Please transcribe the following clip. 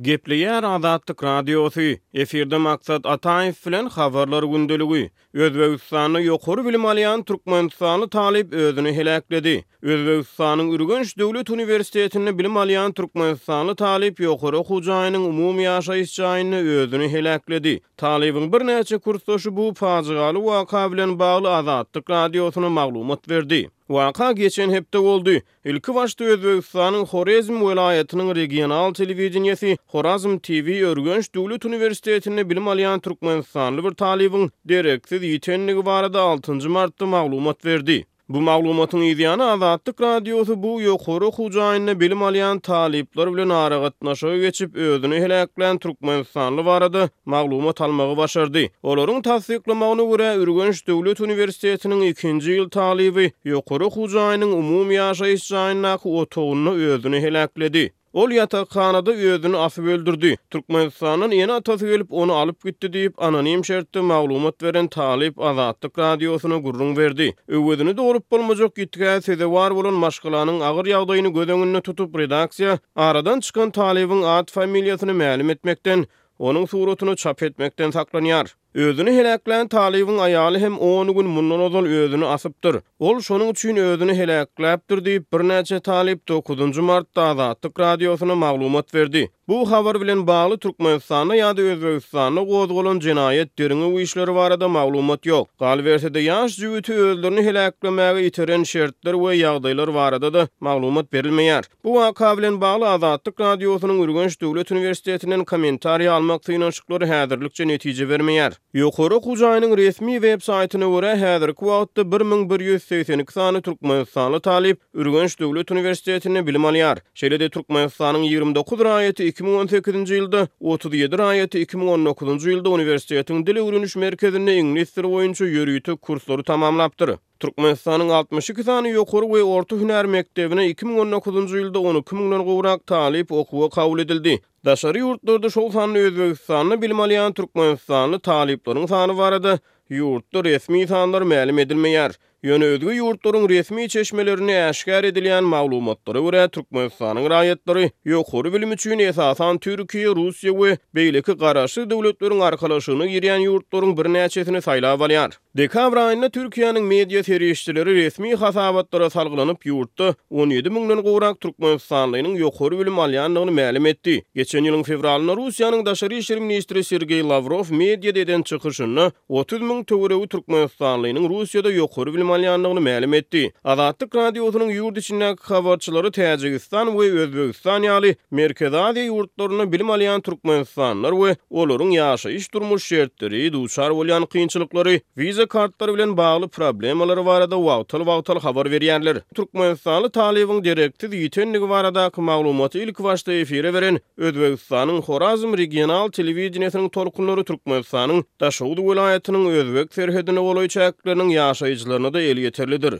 Gepleýär Azatlyk Radiosy, Efirde Maksat Ataýew bilen Habarlar gündeligi. Özbegistanda ýokary bilim alýan türkmenistanly talyp özüni heläkledi. Özbegistanyň Ürgenç döwlet uniwersitetinde bilim alýan türkmenistanly talyp ýokary okuw jaýynyň umumy ýaşaýyş jaýynda özüni heläkledi. Talybyň birnäçe kursdaşy bu pajygaly waka bilen bagly Azatlyk Radiosyna maglumat berdi. Waka geçen hepde boldy. Ilkibaşda Özbegistanyň Horezm welaýatynyň regional telewideniýesi Horazm TV Ürgenç döwlet uniwersitetinde bilim alýan türkmenistanly bir talybyň dereksiz ýitendigi barada altynjy martda maglumat berdi. Bu maglumatyň yzýany Azatlyk Radiosy bu ýokary okuw jaýynda bilim alýan talyplar bilen aragatnaşyga geçip, özüni heläklän türkmenistanly barada maglumat almagy başardy. Olaryň tassyklamagyna görä, Ürgenç döwlet uniwersitetiniň ikinji ýyl talyby ýokary okuw jaýynyň umumy ýaşaýyş jaýyndaky otagynda özüni heläkledi. Ol ýatakhanada özüni asyp öldürdi. Türkmenistandan ene-atasy gelip, ony alyp gitdi diýip, anonim şertde maglumat beren talyp Azatlyk Radiosyna gürrüň berdi. Öwezini dolup bolmajak ýitgä sezewar bolan maşgalanyň agyr ýagdaýyny göz öňünde tutup, redaksiýa aradan çykan talybyň at-familiýasyny mälim etmekden, onuň suratyny çap etmekden saklanýar. Özüni heläklän talybyň aýaly hem on gün mundan ozal özüni asypdyr. Ol şonuň üçin özüni heläkläpdir diýip, birnäçe talyp dokuzynjy martda Azatlyk Radiosyna maglumat berdi. Bu habar bilen bagly Türkmenistanda ýa-da Özbegistanda gozgalan jenaýat derňew işleri barada maglumat ýok. Galyberse-de, ýaş jübüti özlerini heläklemäge iteren şertler we ýagdaýlar barada-da maglumat berilmeýär. Bu waka bilen bagly Azatlyk Radiosynyň Ürgenç döwlet uniwersitetinden kommentariý almak synanyşyklary häzirlikçe netije bermeýär. Ýokary okuw jaýynyň resmi web saýtyna görä, häzirki wagtda 1182 sany türkmenistanly talyp Ürgenç döwlet uniwersitetinde bilim alýar. Şeýle-de Türkmenistanyň 29 raýaty 2018-nji ýylda, 37 raýaty 2019-njy ýylda uniwersitetiň dil öwreniş merkezinde iňlis dili boýunça ýörite kurslary tamamlapdyr. Türkmenistanyň 62 sany ýokary we orta hünär mekdebine 2019-njy ýylda 12 müňden gowrak talyp okuwa kabul edildi. Daşary ýurtlarda, şol sanda Özbegistanda bilim alýan türkmenistanly talyplaryň sany barada ýurtda resmi sanlar mälim edilmeýär. Ýöne özge ýurtlaryň resmi çeşmelerinde äşgär edilýän maglumatlara görä, Türkmenistanyň raýatlary ýokary bilim üçin esasan Türkiýe, Russiýa we beýleki garaşsyz döwletleriň arkalaşygyna girýän ýurtlaryň birnäçesini saýlap alýar. Dekabr aýynda Türkiýäniň media serişdeleri resmi hasabatlara salgylanyp, ýurtda 17 müňden gowrak türkmenistanlynyň ýokary bilim alýandygyny mälim etdi. Geçen ýylyň fewralynda Russiýanyň daşary işler ministri Sergeý Lawrow mediada eden çykyşynda 30 müň töweregi türkmenistanlynyň Russiýada ýokary bilim alýandygyny mälim etdi. Azatlyk Radiosynyň ýurt içindäki habarçylary Täjigistan we Özbegistan ýaly Merkezi Aziýa ýurtlarynda bilim alýan türkmenistanlylar we olaryň ýaşaýyş-durmuş şertleri, duçar bolýan kynçylyklary, wiza kartlary bilen bagly problemalary barada wagtal-wagtal habar berýärler. Türkmenistanly talybyň dereksiz ýitendigi baradaky maglumaty ilkibaşda efire beren Özbegistanyň Horazm regional telewideniýesiniň tolkunlary Türkmenistanyň Daşoguz welaýatynyň özbek serhedine golaý çäkleriniň ýaşaýjylaryna-da elýeterlidir.